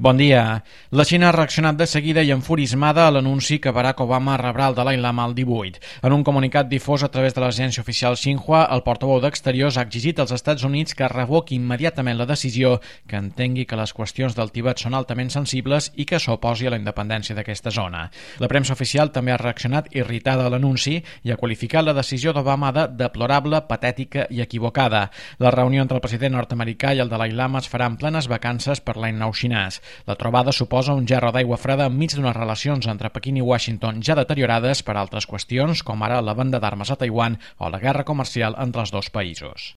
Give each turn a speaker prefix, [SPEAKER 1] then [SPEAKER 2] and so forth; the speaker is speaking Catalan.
[SPEAKER 1] Bon dia. La Xina ha reaccionat de seguida i enfurismada a l'anunci que Barack Obama rebrà el Dalai Lama el 18. En un comunicat difós a través de l'agència oficial Xinhua, el portaveu d'Exteriors ha exigit als Estats Units que revoqui immediatament la decisió, que entengui que les qüestions del Tibet són altament sensibles i que s'oposi a la independència d'aquesta zona. La premsa oficial també ha reaccionat irritada a l'anunci i ha qualificat la decisió d'Obama de deplorable, patètica i equivocada. La reunió entre el president nord-americà i el Dalai Lama es farà en plenes vacances per l'any nou xinès. La trobada suposa un gerro d'aigua freda enmig d'unes relacions entre Pequín i Washington ja deteriorades per altres qüestions, com ara la venda d'armes a Taiwan o la guerra comercial entre els dos països.